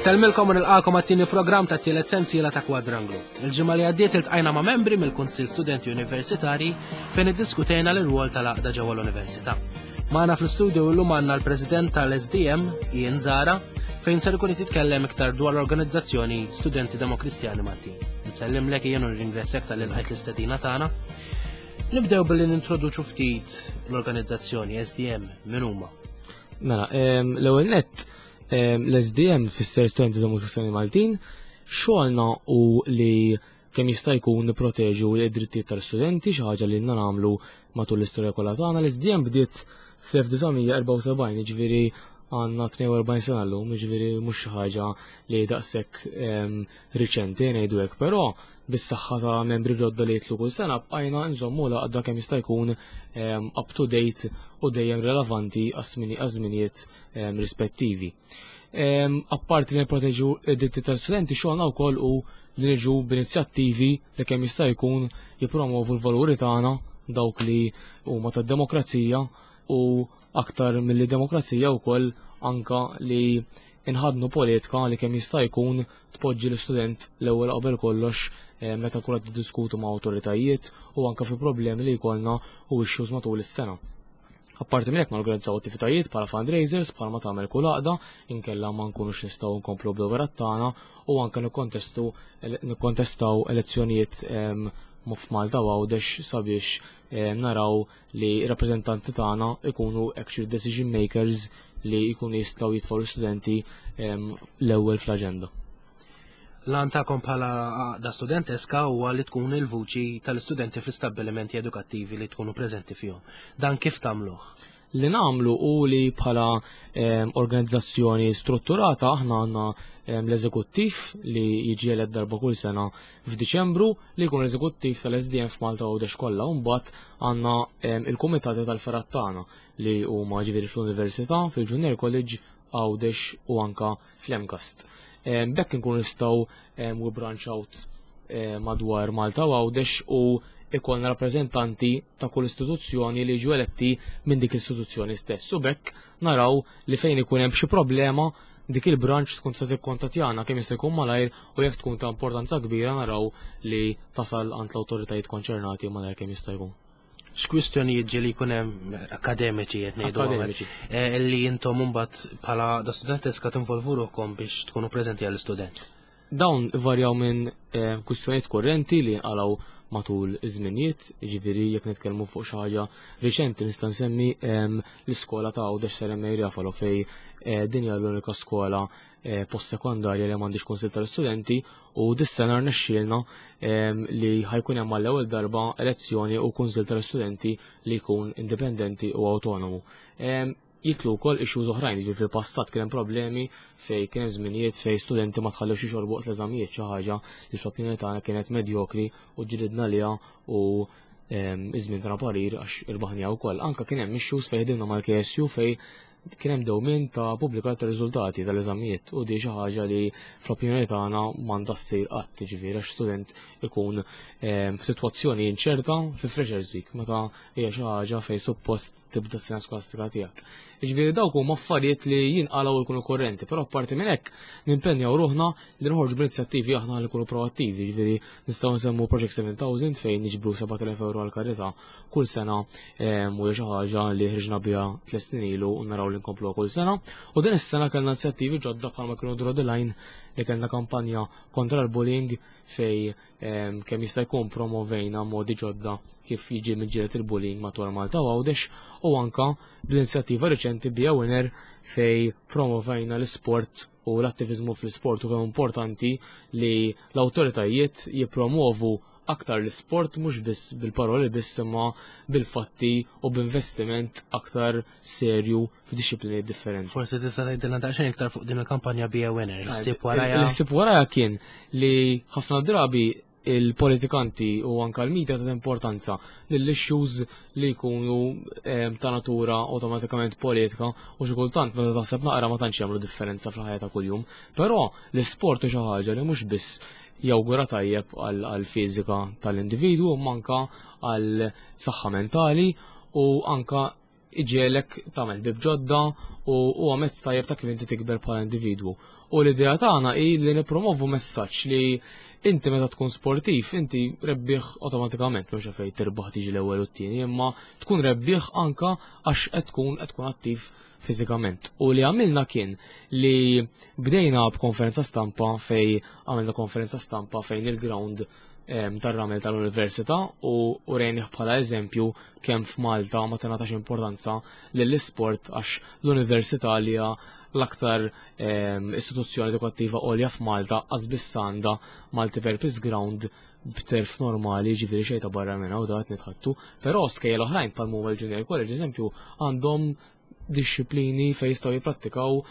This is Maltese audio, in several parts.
Insellmilkom u nilqakom għat-tieni programm tat-tielet sensiela ta' Kwadranglu. Il-ġimgħa li għaddiet iltqajna ma' membri mill-Kunsill Studenti Universitari fejn iddiskutejna l-irwol tal-għaqda ġewwa l-Università. Magħna fl-istudio illum għandna l-President tal-SDM, Ian Zara, fejn ser ikun jitkellem iktar dwar l-organizzazzjoni Studenti Demokristjani Maltin. Nsellimlek Ian u nirringrazzjak tal-ilqajt l-istedina tagħna. Nibdew billi nintroduċu ftit l-organizzazzjoni SDM min huma. Mela, l-ewwel nett l-SDM fisser Studenti Demokristjani Maltin, xogħolna u li kemm jista' jkun nipproteġu id-drittijiet tal-istudenti, xi ħaġa li lna nagħmlu matul l-istorja kollha tagħna. L-SDM bdiet fl-1974, jiġifieri għandna 42 sena llum, jiġifieri mhux xi ħaġa li daqshekk riċenti ngħidu hekk, però bis-saħħa ta' membri ġodda li jitlu kull sena bqajna nżommu l-għaqda kemm jista' jkun up to date u dejjem relevanti għaż-żminijiet rispettivi. Apparti li nipproteġu id-dritti tal-studenti xogħolna wkoll hu li niġu b'inizjattivi li kemm jista' jkun jippromovu l-valuri tagħna dawk li huma tad-demokrazija u aktar milli demokrazija wkoll anka li inħadnu politika li kemm jista' jkun tpoġġi l-istudent l-ewwel qabel kollox eh, meta kull qed diskutu ma' awtoritajiet u anka fi problemi li jkollna u issues matul is-sena. Apparti minn hekk norganizzaw attivitajiet bħala fundraisers bħalma tagħmel kull għaqda, inkella ma nkunux nistgħu nkomplu bl-operat tagħna u anke nikkontestu nikkontestaw elezzjonijiet ehm, f'Malta u Għawdex sabiex ehm, naraw li rappreżentanti tagħna ikunu actual decision makers li jkunu jistgħu jitfgħu l-istudenti ehm, l-ewwel fl-aġenda. L-għan tagħkom bħala għaqda studenteska huwa li tkun il-vuċi tal-istudenti fl-istabbilimenti edukattivi li tkunu preżenti fihom. Dan kif tagħmluh? Li nagħmlu hu li bħala ehm, organizzazzjoni strutturata aħna għandna ehm, l-eżekuttiv li jiġi elett darba kull sena f'Diċembru li jkun l-eżekuttiv tal-SDM f'Malta u Għawdex kollha u mbagħad għandna ehm, il-kumitati tal-fergħat tagħna li huma ġifieri fl-Università, fil-Junior College, Għawdex u anka fl-MCAST. B'hekk inkunu nistgħu we branch out madwar Malta u Għawdex u ikollna rappreżentanti ta' kull istituzzjoni li jiġu eletti minn dik l-istituzzjoni stess. U b'hekk naraw li fejn ikun hemm xi problema dik il-branch tkun tista' tikkontattjana kemm jista' jkun malajr u jekk tkun ta' importanza kbira naraw li tasal għand l-awtoritajiet konċernati malajr kemm jista' jkun. X'kwistjonijiet ġieli jkun hemm akademiċi qed ngħidu Akademiċi. eh, li intom imbagħad bħala da studenteska tinvolvu ruħkom biex tkunu preżenti għall-istudent. Dawn varjaw minn eh, kwistjonijiet kurrenti li nqalgħu matul iż-żminijiet, jiġifieri jekk nitkellmu fuq xi ħaġa riċenti nista' nsemmi ehm, l-iskola ta' Għawdex Sir M.A. Refalo fej eh, din hija l-unika skola eh, post-sekondarja li m'għandix kunsill tal-istudenti u dis-sena rnexxielna ehm, li ħajkun hemm għall-ewwel darba elezzjoni u kunsill tal-istudenti li jkun indipendenti u autonomu. Ehm, jitlu wkoll issues oħrajn, jiġifieri fil-passat kien hemm problemi fej kien hemm żminijiet fej studenti ma tħallewx jixorbu waqt l-eżamijiet xi ħaġa li fl-opinjoni tagħna kienet medjokri u ġridna liha u ehm, iż-żmien tagħna parir għax irbaħnija wkoll. Anka kien hemm issues fejn ħdimna mal-KSU fej kien hemm dewmien ta' pubblikar ta' riżultati tal-eżamijiet u di xi ħaġa li fl-opinjoni tagħna m'għandha ssir qatt, jiġifieri għax student ikun ehm, f'sitwazzjoni inċerta fi Freshers Week meta hija xi ħaġa fejn suppost tibda s-sena skolastika tiegħek. Jiġifieri dawk huma affarijiet li jinqalgħu jkunu korrenti, però apparti minn hekk nimpenjaw ruħna li noħorġu b'inizjattivi aħna li nkunu proattivi, jiġifieri nistgħu nsemmu Project 7000 fejn niġbru 7000 euro għal karità kull sena ehm, u xi ħaġa li ħriġna biha tliet snin ilu u naraw li nkompluha kull sena. U din is-sena kellna inizjattivi ġodda bħalma kienu Draw the Line li kellna kampanja kontra l-bullying fej ehm, kemm jista' jkun promovejna modi ġodda kif jiġi miġġieled il-bullying madwar Malta u Għawdex u anka bl-inizjattiva riċenti Be a Winner fej promovejna l-isport u l-attivizmu fl-isport u kemm importanti li l-awtoritajiet jippromovu aktar l-isport mhux biss bil-paroli biss imma bil-fatti u b'investiment aktar serju f'dixxiplini differenti. Forsi tista' tgħidilna daqsxejn iktar fuq din il-kampanja Be a Winner. Il-ħsieb warajha. Il-ħsieb warajha kien li ħafna drabi il-politikanti u anka l-media ta' importanza lill-issues li jkunu ehm, ta' natura automatikament politika u xi kultant meta taħseb naqra ma tantx jagħmlu differenza fil-ħajja ta' kuljum. Però l-isport hu xi ħaġa li mhux biss jawgura tajjeb għall-fiżika tal-individwu imma anka għal saħħa mentali u anka iġiegħlek tagħmel ħbieb ġodda u huwa mezz tajjeb ta' kif inti tikber bħala individwu. U l-idea tagħna hi li nippromovu messaġġ li inti meta tkun sportiv, inti rebbieħ awtomatikament, mhux fejn tirbaħ tiġi l-ewwel u t-tieni, imma tkun rebbieħ anka għax qed tkun attiv fiżikament. U li għamilna kien li bdejna b'konferenza stampa fej għamilna konferenza stampa fejn il-ground tar-ramel tal-università u urejnih bħala eżempju kemm f'Malta ma tingħatax importanza lill-isport għax l-università li hija l-aktar istituzzjoni edukattiva għolja f'Malta qas biss għandha multipurpose ground b'turf normali, ġifieri xejn ta' barra minn hawn da qed nitħattu, però skejjel oħrajn bħal huma l-Junior College eżempju għandhom disċiplini fejn jistgħu jipprattikaw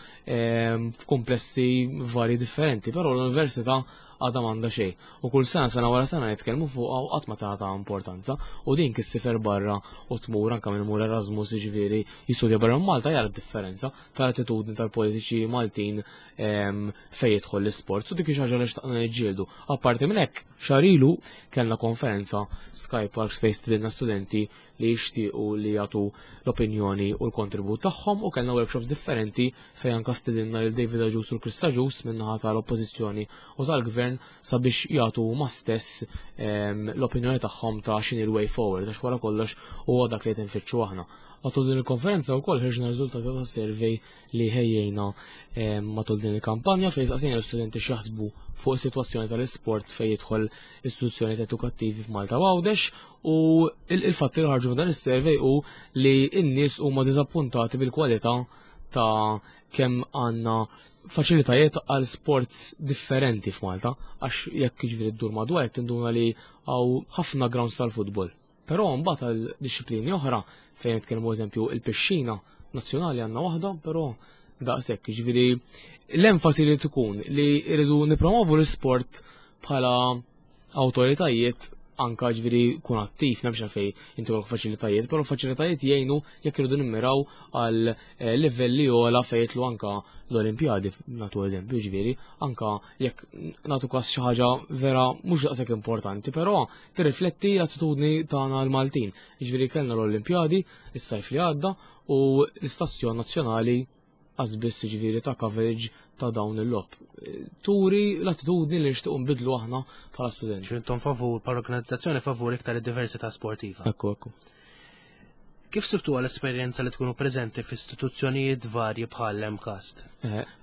f'komplessi varji differenti, però l-università għadha m'għandha xejn. U kull sena, sena wara sena nitkellmu fuqha u qatt ma tagħta importanza. U din kif ssifer barra u tmur anke minn mur Erasmus, jiġifieri jistudja barra minn Malta, jara d-differenza tal-attitudni tal-politiċi Maltin fejn jidħol l-isport. U dik hi xi ħaġa li xtaqna niġġieldu. Apparti minn hekk, xahar ilu kellna konferenza Sky Parks fejn stidinna studenti li jixtiequ li jagħtu l-opinjoni u l-kontribut tagħhom u kellna workshops differenti fejn anke stidinna lil David Agius u l-Chris Agius min-naħa tal-Oppożizzjoni u tal-Gvern sabiex jagħtu huma stess l-opinjoni tagħhom ta' x'inhi l-way forward għax wara kollox huwa dak li qed infittxu aħna. Matul din il-konferenza wkoll ħriġna riżultati ta' survey li ħejjejna matul din il-kampanja fejn saqsejna l-istudenti x'jaħsbu fuq is-sitwazzjoni tal-isport fejn jidħol istituzzjonijiet edukattivi f'Malta u Għawdex u il-fatti li ħarġu minn dan is-survey hu li n-nies huma diżappuntati bil-kwalità ta' kemm għandna faċilitajiet għal sports differenti f'Malta għax jekk jiġifieri ddur madwar qed tinduna li hawn ħafna grounds tal-futbol. Però mbagħad għal dixxiplini oħra fejn nitkellmu eżempju il-pixxina nazzjonali għandna waħda, però daqshekk, jiġifieri l-enfasi li tkun li rridu nippromovu l-isport bħala awtoritajiet anka ġifieri kun attiv, m'hemmx għalfejn inti kollok faċilitajiet, però faċilitajiet jgħinu jekk irridu nimmiraw għal livelli ogħla fejn jidħlu anka l-Olimpjadi, nagħtu eżempju ġifieri, anka jekk nagħtu każ xi ħaġa vera mhux daqshekk importanti, però tirrifletti l-attitudni tagħna l-Maltin. Jiġifieri kellna l-Olimpjadi is-sajf li għadda u l-istazzjon nazzjonali qas biss jiġifieri ta' coverage ta' dawn il-logħob. Turi l-attitudni li nixtiequ nbidlu aħna bħala studenti. Ġifieri intom favur, bħala organizzazzjoni favur iktar id-diversità sportiva. Ekku, ekku. Kif sibtuha l-esperjenza li tkunu preżenti f'istituzzjonijiet varji bħal l-MCAST?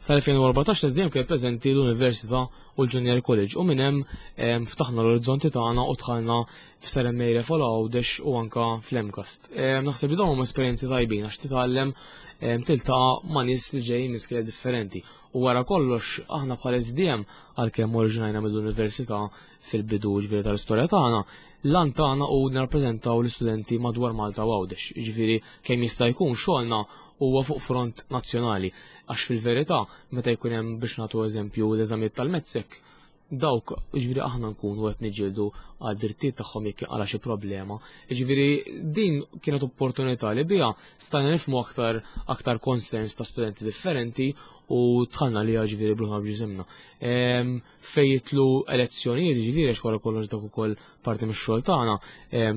Sal-2014 l-SDM kien preżenti l-Università u l-Junior College u minn hemm ftaħna l-orizzonti tagħna u dħalna f'Sir M. A. Refalo Għawdex u anka fl-MCAST. Naħseb li dawn huma esperjenzi tajbin għax titgħallem tiltaqa' ma' nies li ġejjin minn skejjel differenti. U wara kollox aħna bħal SDM għalkemm oriġinajna mill-Università fil-bidu ġifieri tal-istorja tagħna, l-għan tagħna hu nirrappreżentaw l-istudenti madwar Malta u Għawdex. Jiġifieri kemm jista' jkun xogħolna huwa fuq front nazzjonali. Għax fil-verità meta jkun hemm biex nagħtu eżempju l-eżamijiet tal-METSEC, dawk jiġifieri aħna nkunu qed niġġieldu għal drittijiet tagħhom jekk jinqala' xi problema. Jiġifieri din kienet opportunità li biha stajna nifhmu aktar aktar concerns ta' studenti differenti u dħalna li ġifieri bluħna b'ġisimna. Fejn jidħlu elezzjonijiet, jiġifieri għax wara kollox dak ukoll parti mix-xogħol tagħna,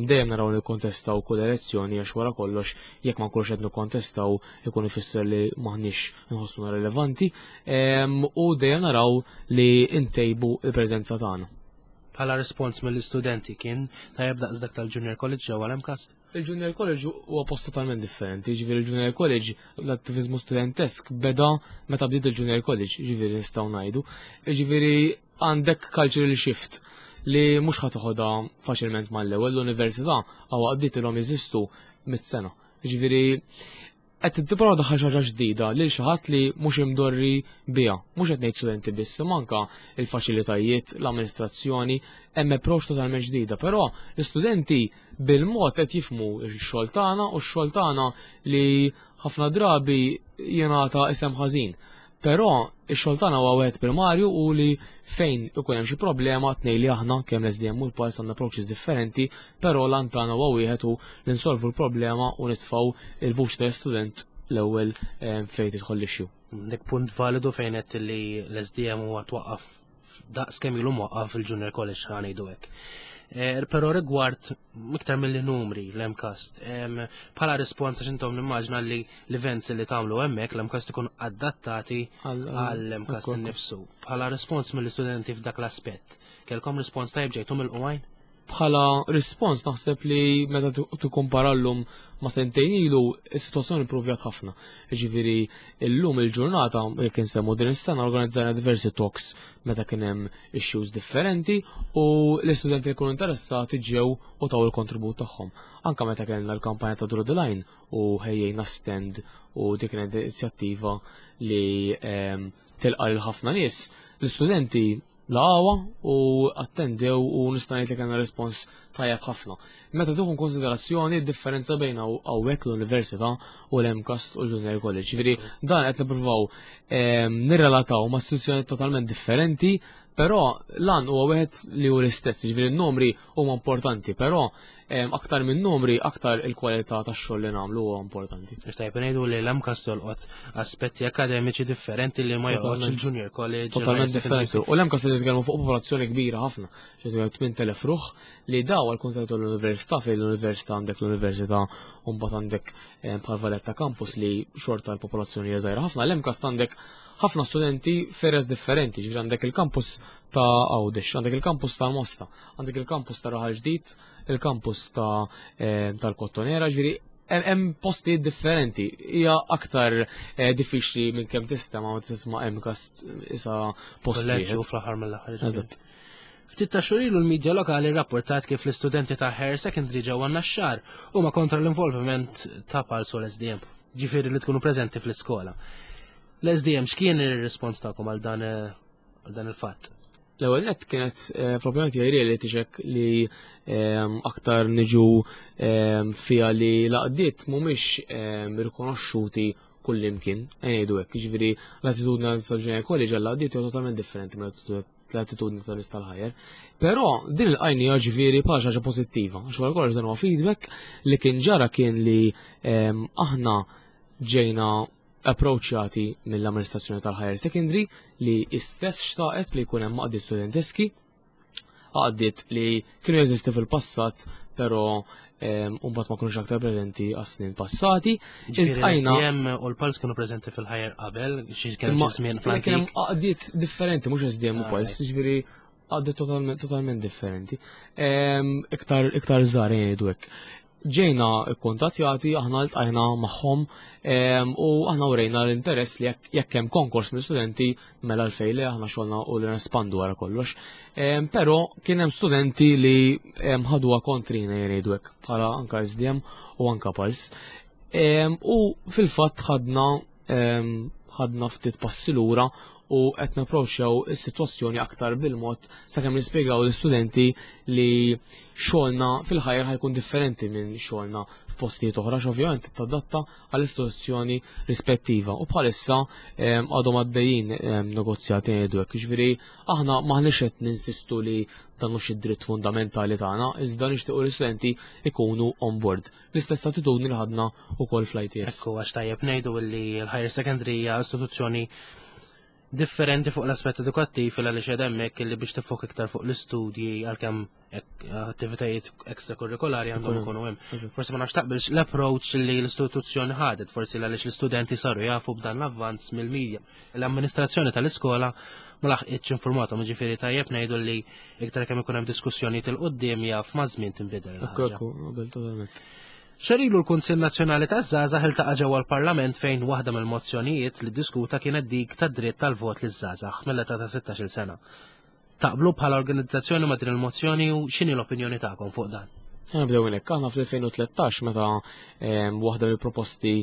dejjem naraw nikkontestaw kull elezzjoni għax wara kollox jekk ma nkunux qed nikkontestaw ikun ifisser li m'aħniex nħossuna rilevanti, u dejjem naraw li ntejbu l-preżenza tagħna. Bħala rispons mill-istudenti kien tajjeb daqs dak tal-Junior College ġewwa l-MCAST? Il-Junior College huwa post totalment differenti, jiġifieri il-Junior College l-attiviżmu studentesk beda meta bdiet il-Junior College, jiġifieri nistgħu ngħidu. Jiġifieri għandek cultural shift li mhux ħa toħodha faċilment mal-ewwel l-università għaw għaddiet ilhom jeżistu mit-sena. Jiġifieri qed tipprova daħħal xi ħaġa ġdida lil xi ħadd li mhux imdorri biha. Mhux qed ngħid studenti biss, imma anke il-faċilitajiet, l-amministrazzjoni, hemm approach totalment ġdida, però l-istudenti bil-mod qed jifhmu x-xogħol tagħna u x-xogħol tagħna li ħafna drabi jingħata isem ħażin. Però x-xogħol tagħna huwa wieħed primarju u li fejn ikun hemm xi problema tnejn li aħna kemm l-SDM u l-Pulse għandna approaches differenti, però l-għan tagħna huwa wieħed u li nsolvu l-problema u nitfgħu il-vuċi tal-istudent l-ewwel fejn tidħol l-issue. Dik punt validu fejn qed li l-SDM huwa twaqqaf daqs kemm ilu mwaqqaf il-Junior College ħa ngħidu hekk. Però rigward iktar milli numri l-MCAST, bħala rispons għax intom nimmaġna li l-events li tagħmlu hemmhekk l-MCAST ikun adattati għall-MCAST innifsu. Bħala rispons mill-istudenti f'dak l-aspett, kelkom rispons tajjeb ġejtu mill-qwajn? Bħala rispons naħseb li meta tikkumpara llum ma' sentejn ilu, is-sitwazzjoni improvjat ħafna. Jiġifieri llum il-ġurnata, jekk insemmu din is-sena, organizzajna diversi talks meta kien hemm issues differenti u l-istudenti li kienu interessati ġew u taw il-kontribut tagħhom. Anka meta kellna l-kampanja ta' Draw the Line u ħejjejna stand u dik kienet inizjattiva li tilqa' lil ħafna nies, l-istudenti laqgħuha u attendew u nista' ngħid li kellna respons tajjeb ħafna. Meta tieħu konsiderazzjoni d-differenza bejn hawnhekk l-Università u l-MCAST u l-Junior College. Ġifieri dan qed nippruvaw nirrelataw ma' istituzzjoni totalment differenti, però lan huwa wieħed li hu l-istess, ġifieri n-numri huma importanti, però aktar minn numri, aktar il-kwalità tax-xogħol li nagħmlu huwa importanti. Biex tajjeb ngħidu li l-MCAST jolqot aspetti akademiċi differenti li ma jolqotx il-Junior College. Totalment differenti. U l-MCAST qed nitkellmu fuq popolazzjoni kbira ħafna, ġifieri 8000 ruħ li daw għal kuntat l-università fejn l-università għandek l-università u mbagħad għandek bħal Valletta Campus li xorta l-popolazzjoni hija żgħira ħafna. L-MCAST għandek ħafna studenti f'areas differenti, ġifieri għandek il-campus ta' Għawdex, għandek il-campus ta' Mosta, għandek il-campus ta' Raħal Ġdid, il-campus tal-Kottonera, ġifieri hemm postijiet differenti. Hija aktar diffiċli minn kemm tista' ma tisma' MCAST isa post Kolleġġju wieħed. fl-aħħar mill-aħħar, ġifieri. Eżatt. Ftit ta' xhur ilu l-medja lokali rrapportat kif l-istudenti ta' Higher Secondary ġewwa Naxxar huma kontra l-involviment ta' Pulse u l-SDM, ġifieri li tkunu preżenti fl-iskola. L-SDM x'kien ir-rispons tagħkom għal dan il-fatt? L-ewwel nett kienet fl-opinjoni tiegħi reality check li aktar niġu fiha li l-għaqdiet mhumiex rikonoxxuti kullimkien, ngħidu hekk, jiġifieri l-attitudni tal-Junior College għall-għaqdiet hija totalment differenti mill-attitudni tal-nies tal-Higher. Però din il-qajnija ġifieri bħala xi ħaġa pożittiva, għax wara kollox dan huwa feedback li kien ġara kien li aħna ġejna approachjati mill-amministrazzjoni tal-Higher Secondary li istess xtaqet li jkun hemm għaqdiet studenteski, għaqdiet li kienu jeżisti fil-passat, però mbagħad ma kinux aktar preżenti għas-snin passati. Ġifieri Iltqajna l-SDM u l-Pulse kienu preżenti fil-Higher qabel, xi kienu Imma xi żmien kien hemm fl-antik. għaqdiet differenti, mhux SDM u Pulse, ġifieri għaqdiet totalment differenti. Iktar żgħar jgħidu hekk. Ġejna kkuntattjati, aħna ltqajna magħhom u aħna urejna l-interess li jekk hemm konkors mill-studenti mela l-fejn li aħna xogħolna u li nespandu wara kollox. Però kien hemm studenti li ħaduha kontrina jgħidu hekk bħala anka SDM u anka Pulse. U fil-fatt ħadna ftit passi lura u qed napproċċjaw is-sitwazzjoni aktar bil-mod sakemm nispjegaw l-istudenti li xogħolna fil-Higher ħajkun differenti minn xogħolna f'postijiet oħra, x'ovvjament tadatta għall-istituzzjoni rispettiva. U bħalissa għadhom għaddejjin negozjati ngħidu hekk. Jiġifieri aħna maħniex qed ninsistu li dan mhux id-dritt fundamentali tagħna, iżda nixtiequ l-istudenti ikunu on board. L-istess attitudni li ħadna wkoll fl-ITS. Ekku, għax tajjeb ngħidu li l-Higher Secondary hija istituzzjoni differenti fuq l-aspett edukattiv il għaliex hemmhekk li biex tifok iktar fuq l-istudji għalkemm attivitajiet ekstrakurrikolari għandhom ikunu hemm. Forsi ma nafx taqbilx l-approach li l-istituzzjoni ħadet, forsi għaliex l-istudenti saru jafu b'dan l-avvanz mill-media. L-amministrazzjoni tal-iskola ma laħqitx informathom, jiġifieri tajjeb ngħidu li iktar kemm ikun hemm diskussjonijiet il quddiem jaf ma' żmien tinbidel Ekku, il-ħaġa. ekku, qabel totalment. Xahar ilu l-Kunsill Nazzjonali taż-Żgħażagħ iltaqa' ġewwa l-Parlament fejn waħda mill-mozzjonijiet li diskuta kienet dik tad-dritt tal-vot liż-żgħażagħ mill-età ta' 16-il sena. Taqblu bħala organizzazzjoni ma' din il-mozzjoni u x'inhi l-opinjoni tagħkom fuq dan? Nibdew hekk, aħna fl-2013 meta waħda mill-proposti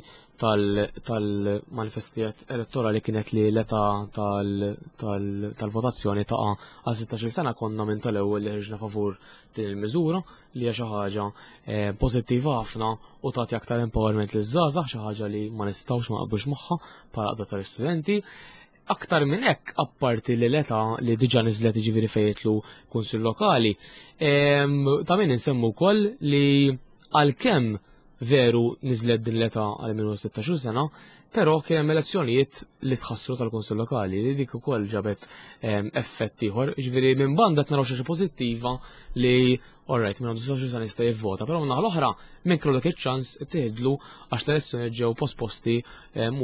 tal-manifesti elettorali kienet li l-età tal-votazzjoni taqa' għal 16 sena, konna minn tal-ewwel li ħriġna favur din il-miżura li hija xi ħaġa pożittiva ħafna u tagħti aktar empowerment liż-żgħażagħ, xi ħaġa li ma nistgħux ma naqblux magħha bħala għaqda tal-istudenti. Aktar minn hekk, apparti li l-età li diġà niżlet jiġifieri fejn jitlu kunsill lokali, ta' min insemmu wkoll li għalkemm Veru niżlet din l-età għal min hu 16 sena, però kien hemm elezzjonijiet li tħassru tal-Kunsill Lokali li dik ukoll ġabet effett ieħor. Jiġifieri minn banda qed naraw xi pożittiva li alright minn għandu 16 sena jista' jivvota, però minn l-oħra minn kellu dak iċ-ċans ittieħidlu għax l-elezzjoni ġew posposti u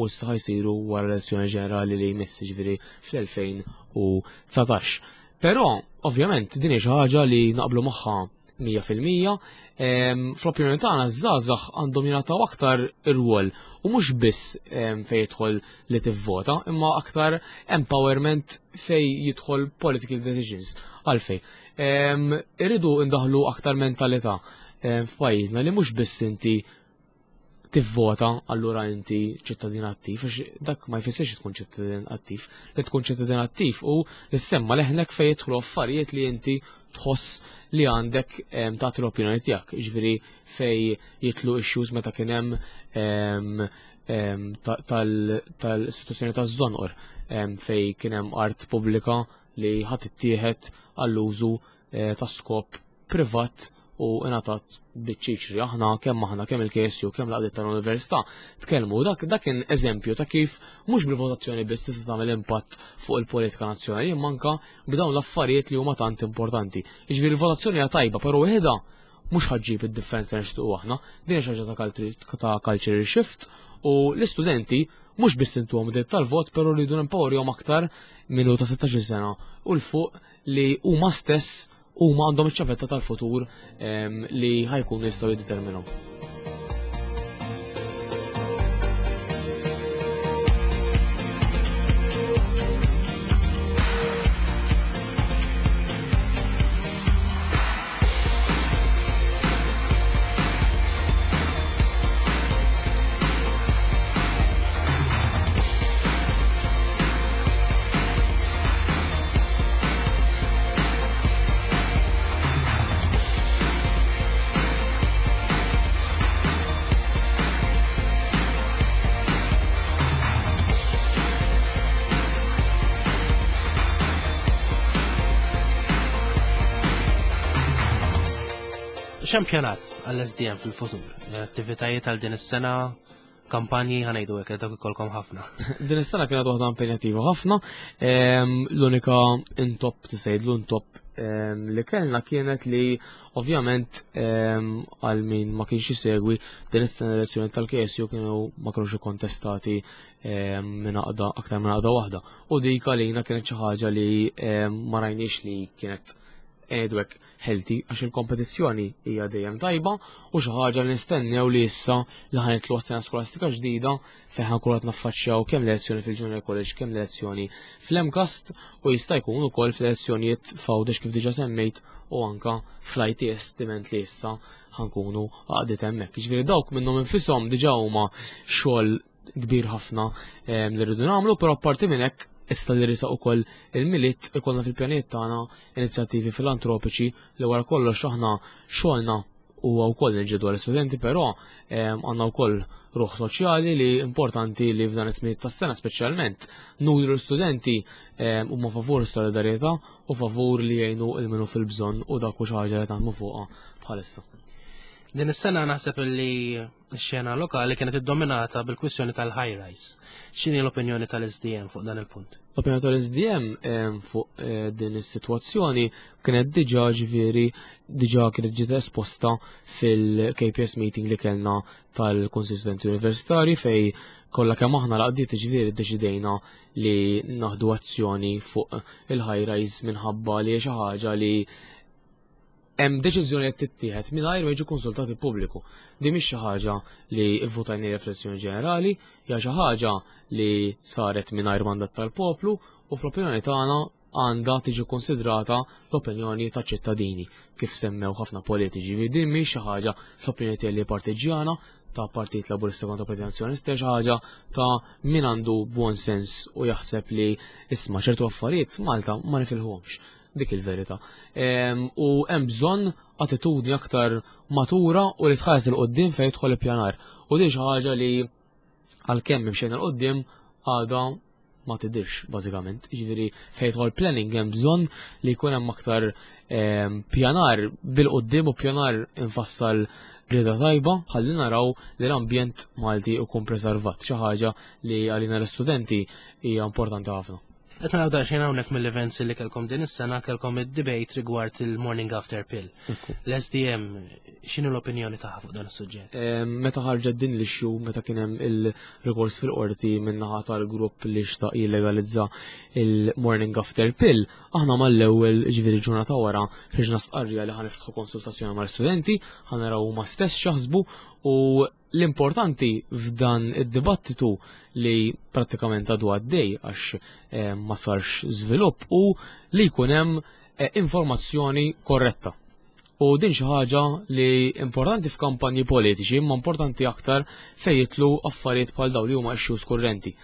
issa ħajsiru wara l-elezzjoni ġenerali li jmiss, jiġifieri fl-2019. Però ovvjament din hi xi ħaġa li naqblu magħha 100%. Fl-opinjoni tagħna ż-żgħażagħ għandhom jingħataw aktar irwol u mhux biss fejn jidħol li tivvota, imma aktar empowerment fejn jidħol political decisions. Għalfej. Irridu ndaħlu aktar mentalità f'pajjiżna li mhux biss inti tivvota allura inti ċittadin attiv, għax dak ma jfissirx tkun ċittadin attiv. Li tkun ċittadin attiv u li semma leħnek fejn jidħlu affarijiet li inti tħoss li għandek tagħti l-opinjoni tiegħek. Jiġifieri fejn jidħlu issues meta kien hemm tal-istituzzjoni taż-Żonqor fejn kien hemm art pubblika li ħadd ittieħed għall-użu ta' skop privat u ingħatat biċ-ċiċri. Aħna kemm aħna kemm il-KSU kemm l-għaqdiet tal-Università tkellmu dak dak kien eżempju ta' kif mhux bil-votazzjoni biss tista' tagħmel impatt fuq il-politika nazzjonali imma anke b'dawn l-affarijiet li huma tant importanti. Jiġifieri l-votazzjoni hija tajba, però waħedha mhux ħaġġib id-differenza li nixtiequ aħna. Din hija xi ħaġa ta' culture shift u l-istudenti mhux biss intuhom dritt tal-vot, però rridu nempowerjhom aktar minn ta' 16 sena u 'l fuq li huma stess huma għandhom iċ-ċavetta tal-futur li ħajkunu jistgħu jiddeterminaw. X'ampjonat għall-SDM fil-futur? Attivitajiet għal din is-sena, kampanji ħanejdu hekk dak ikolkom ħafna. Din is-sena kienet waħda impenjattiva ħafna. L-unika intop tista' intop li kellna kienet li ovvjament għal min ma kienx jisegwi din is-sena elezzjoni tal-KSU kienu ma kienux kontestati minn għaqda aktar minn għaqda waħda. U dik għalina kienet xi ħaġa li ma rajniex li kienet edwek healthy għax il-kompetizzjoni hija dejjem tajba u xi ħaġa li nistennew li issa li ħanitlu sena skolastika ġdida fejn ħankunu qed naffaċċjaw kemm l-elezzjoni fil-Junior College kemm l-elezzjoni fl-MCAST u jista' jkun ukoll fl-elezzjonijiet f'Għawdex kif diġà semmejt u anka fl-ITS diment li issa ħankunu għaqdiet hemmhekk. Jiġifieri dawk minnhom infisom diġà huma xogħol kbir ħafna li rridu nagħmlu, però apparti minn hekk issa li risaq ukoll il-Milied ikollna fil-pjanijiet tagħna inizjattivi filantropiċi li wara kollox aħna xogħolna huwa wkoll nġidu għall-istudenti, però għandna wkoll ruħ soċjali li importanti li f'dan is-smiet tas-sena speċjalment nuru l-istudenti huma favur is-solidarjetà u favur li jgħinu il-minu fil-bżonn u dak u xi ħaġa li taħdmu fuqha bħalissa. Din is-sena naħseb li x-xena lokali kienet iddominata bil-kwistjoni tal-high rise. X'inhi l-opinjoni tal-SDM fuq dan il-punt? L-opinjoni tal-SDM fuq din is-sitwazzjoni kienet diġà ġifieri diġà kienet ġiet esposta fil-KPS meeting li kellna tal-Kunsill Studenti Universitari fej kollha kemm aħna laqdiet ġifieri ddeċidejna li naħdu azzjoni fuq il-high rise minħabba li xi ħaġa li hemm deċiżjoni qed tittieħed mingħajr ma jiġu konsultati pubbliku. Din mhix xi ħaġa li vvutajna riflessjoni ġenerali, hija xi ħaġa li saret mingħajr mandat tal-poplu u fl-opinjoni tagħna għandha tiġi konsidrata l-opinjoni ta' ċittadini kif semmew ħafna politiċi. Din mhix xi ħaġa fl-opinjoni tiegħi li partiġjana ta' Partit Laburista kontra Partit Nazzjonalista, xi ħaġa ta' min għandu buon sens u jaħseb li isma' ċertu affarijiet f'Malta ma nifilħuhomx. Dik il-verità. U hemm bżonn attitudni aktar matura u li tħares il qoddim fejn jidħol ippjanar. U din xi ħaġa li għalkemm imxejna l qoddim għadha ma tidirx bażikament. Jiġifieri fejn jidħol planning hemm bżonn li jkun hemm aktar pjanar bil-qoddim u pjanar infassal rieda tajba ħalli naraw li l-ambjent Malti ikun preservat, xi ħaġa li għalina l-istudenti hija importanti ħafna. Qed naraw daqsxejn hawnhekk mill-events li kellkom din is-sena, kellkom id-debate rigward il-morning after pill. L-SDM x'inhu l-opinjoni tagħha fuq dan is-suġġett? Meta ħarġet din l-issue, meta kien hemm il-rikors fil-qorti min-naħa tal-grupp li xtaq jillegalizza il-morning after pill, aħna mal-ewwel, ġifieri ġurnata wara, ħriġna stqarrija li ħa niftħu konsultazzjoni mal-istudenti, ħa naraw huma stess x'jaħsbu. U l-importanti f'dan id-dibattitu li prattikament għadu għaddej għax ma sarx żvilupp u li jkun hemm informazzjoni korretta. U din xi ħaġa li importanti f'kampanji politiċi, imma importanti aktar fejn jitlu affarijiet bħal dawn li huma issues kurrenti.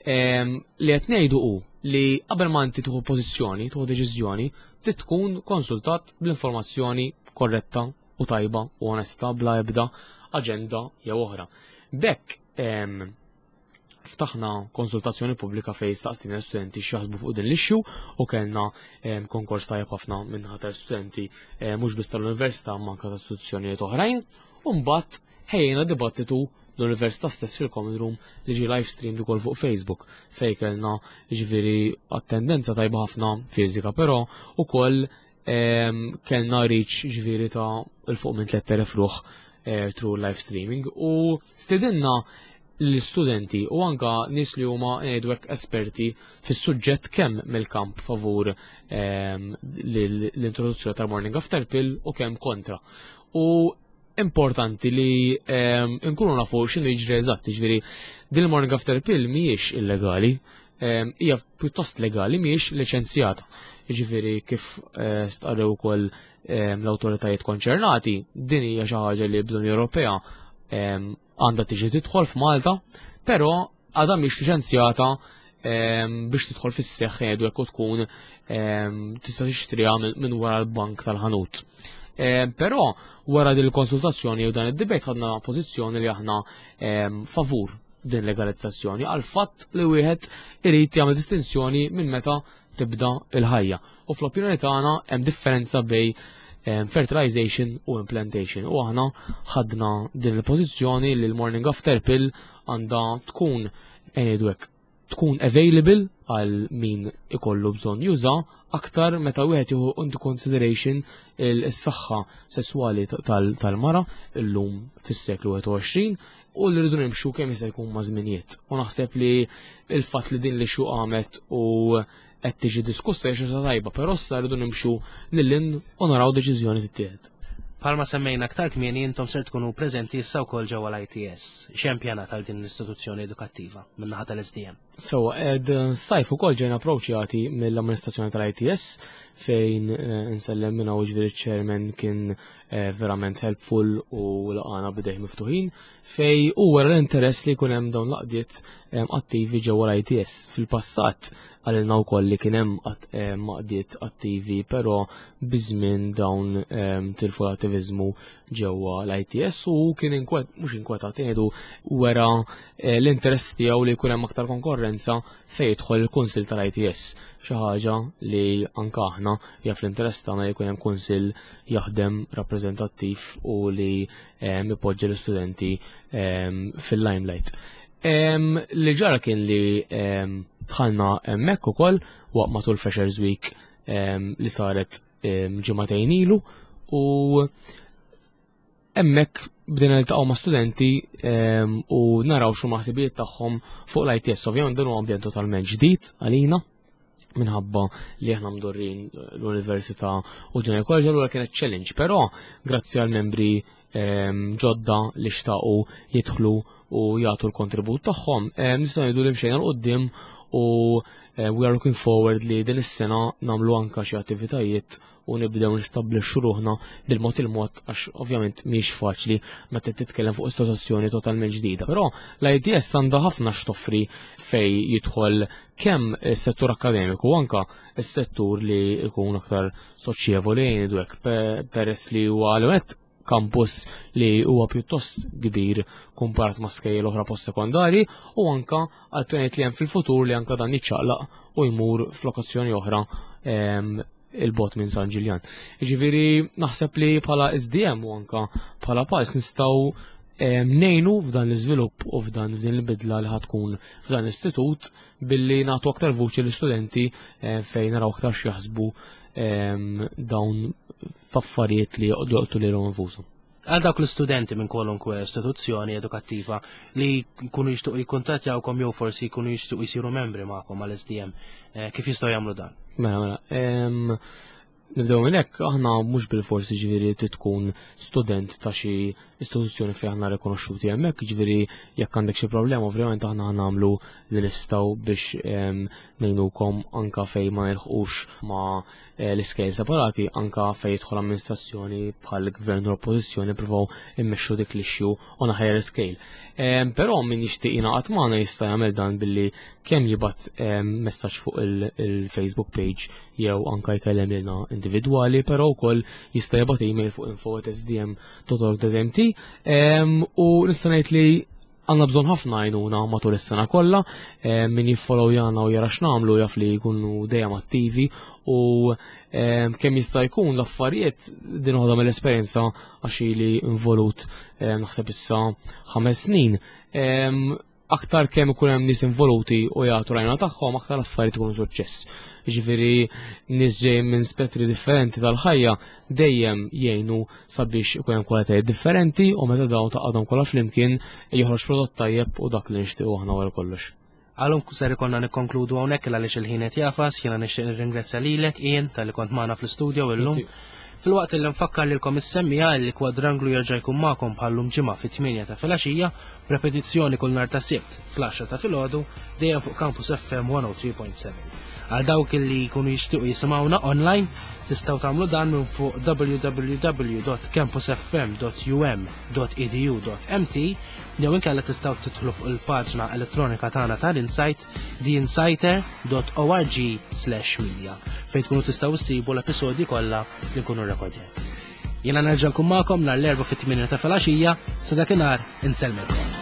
Li qed ngħidu hu li qabel ma inti tieħu pożizzjoni, tieħu deċiżjoni, trid tkun konsultat bl-informazzjoni korretta u tajba u onesta bla ebda aġenda jew oħra. B'hekk ftaħna konsultazzjoni pubblika fejn staqstina l-studenti x'jaħsbu fuq din l-issue u kellna konkors tajjeb ħafna minnaħa tal-studenti, mhux biss tal-università imma anke ta' istituzzjonijiet oħrajn, u mbagħad ħejjejna dibattitu l-università stess fil-common room li ġie live streamed ukoll fuq Facebook fejn kellna ġifieri attendenza tajba ħafna fiżika, però ukoll kellna reach ġifieri ta' 'l fuq minn 3000 ruħ through live streaming u stedinna l-studenti u anka nies li huma ngħidu hekk esperti fis-suġġett kemm mill-kamp favur l-introduzzjoni tal-morning after pill u kemm kontra. U importanti li nkunu nafu x'inhu jiġri eżatt, jiġifieri din il-morning after pill mhijiex illegali, hija pjuttost legali, mhijiex liċenzjata. Jiġifieri kif stqarrew ukoll l-awtoritajiet konċernati, din hija xi ħaġa li bl-Unjoni Ewropea għandha tiġi tidħol f'Malta, però għadha mhix liċenzjata biex tidħol fis-seħħ jgħidu hekk u tkun tista' tixtriha minn wara l-bank tal-ħanut. Però wara din il-konsultazzjoni u dan id-debate ħadna pożizzjoni li aħna favur din legalizzazzjoni għal fatt li wieħed irid jagħmel distinzjoni minn meta tibda il-ħajja. U fl-opinjoni tagħna hemm differenza bej fertilization u implantation. U aħna ħadna din il-pożizzjoni li l-morning after pill għandha tkun, ngħidu hekk, tkun available għal min ikollu bżonn juża, aktar meta wieħed jieħu into consideration is-saħħa sesswali tal-mara illum fis-seklu 21 u li rridu nimxu kemm jista' jkun ma' żminijiet. U naħseb li il-fatt li din li xu qamet u qed tiġi diskussa hija xi ħaġa tajba, però issa rridu nimxu lil hinn u naraw deċiżjoni tittieħed. Bħalma semmejna aktar kmieni, intom ser tkunu preżenti issa wkoll ġewwa l-ITS. X'hemm pjanat għal din l-istituzzjoni edukattiva min-naħa tal-SDM? So, ed sajf ukoll ġejna approċċjati mill-amministrazzjoni tal-ITS fejn nsellem minn hawn, ġifieri chairman kien verament helpful u laqana b'idejh miftuħin fej u wara l-interess li jkun hemm dawn l-għaqdiet attivi ġewwa l-ITS. Fil-passat qalilna wkoll li kien hemm għaqdiet attivi, però biż-żmien dawn tilfu l-attiviżmu ġewwa l-ITS u kien inkwet, mhux inkwetat, ngħidu wera l-interess tiegħu li jkun hemm aktar konkorrenza fejn jidħol il-Kunsill tal-ITS. Xi ħaġa li anke aħna hija fl-interess tagħna li jkun hemm kunsill jaħdem rappreżentattiv u li ipoġġi l-istudenti fil-limelight. Li ġara kien li dħalna hemmhekk ukoll waqt matul Freshers Week li saret ġimagħtejn ilu u hemmhekk bdejna niltaqgħu ma' studenti u naraw x'huma ħsibijiet tagħhom fuq l-ITS. Ovvjament dan huwa ambjent totalment ġdid għalina minħabba li aħna mdorrin l-università u General College, allura kienet challenge, però grazzi għal membri ġodda li xtaqu jidħlu u jagħtu l-kontribut tagħhom, nistgħu ngħidu li mxejna 'l quddiem u we are looking forward li din is-sena nagħmlu anka xi attivitajiet u nibdew nistabbilixxu ruħna bil-mod il-mod, għax ovvjament mhix faċli meta titkellem fuq istituzzjoni totalment ġdida. Però l-ITS għandha ħafna x'toffri fej jidħol kemm is-settur akademiku u anka s-settur li jkun aktar soċjevoli, ngħidu hekk, peress li huwa għal campus li huwa pjuttost kbir kumparat ma' skejjel oħra post-sekondari u anka għal pjanijiet li hemm fil-futur li anka dan jiċċaqlaq u jmur f'lokazzjoni oħra. il-bot minn San Ġiljan. Ġifieri naħseb li bħala SDM u anka bħala Pulse nistgħu ngħinu f'dan l-iżvilupp u f'dan f'din il-bidla li ħatkun f'dan l-istitut billi nagħtu aktar vuċi l-istudenti fejn naraw aktar x'jaħsbu dawn f'affarijiet li joqtu lilhom infushom. Għal dawk l-istudenti minn kwalunkwe istituzzjoni edukattiva li jkunu jixtuq jikkuntattjawkom jew forsi jkunu jixtuq jsiru membri magħkom għal SDM, kif jistgħu jagħmlu dan? Mela, mela, nibdew minn hekk, aħna mhux bil-forsi ġifieri tkun student ta' xi istituzzjoni fejn aħna rikonoxxuti hemmhekk, ġifieri jekk għandek xi problema ovvjament aħna nagħmlu li nistgħu biex ngħinukom anka fejn ma nilħqux ma' l-iskejl separati, anka fejn jidħol amministrazzjoni bħal gvern u oppożizzjoni provaw immexxu dik l-issue on a higher scale. Però min jixtieq jingħaqad magħna jista' jagħmel dan billi kemm jibgħat messaġġ fuq il-Facebook page jew anka jkellem lilna individwali, però wkoll jista' jibgħat email fuq info@sdm.org.mt. U nista' ngħid li għandna bżonn ħafna għajnuna matul is-sena kollha, min jiffollowjana u jara x'nagħmlu jaf li jkunu dejjem attivi u kemm jista' jkun l-affarijiet din waħda mill-esperjenza għax ili involut naħseb issa 5 snin. Aktar kemm ikun hemm nies involuti u jagħtu rajna tagħhom, aktar l-affarijiet ikunu suċċess. Jiġifieri nies ġejjin minn spettri differenti tal-ħajja dejjem jgħinu sabiex ikun hemm kwalitajiet differenti u meta dawn taqgħodhom kollha flimkien joħroġ prodott tajjeb u dak li nixtiequ aħna wara kollox. Għalhom ser ikollna nikkonkludu hawnhekk għaliex il-ħin qed jafas, jiena nixtieq nirringrazzja lilek Ian talli kont magħna fl-istudio illum. Grazzi. Filwaqt li nfakkar lilkom is-semmija li Kwadranglu jerġa' jkun magħkom bħallum ġimgħa fit-8 ta' filgħaxija, b'repetizzjoni kull nhar ta' Sibt fl-10 ta' filgħodu dejjem fuq Campus FM 103.7. Għal dawk li jkunu jixtiequ jisimgħuna online, tistgħu tagħmlu dan minn fuq www.campusfm.um.edu.mt jew inkella tistgħu tidħlu fuq il-paġna elettronika tagħna tal-Insight theinsighter.org/media fejn tkunu tistgħu ssibu l-episodji kollha li nkunu rrekordjat. Jiena nerġa' nkun magħkom nhar l-Erbgħa fit-8 ta' filgħaxija, sa dakinhar insellmilkom.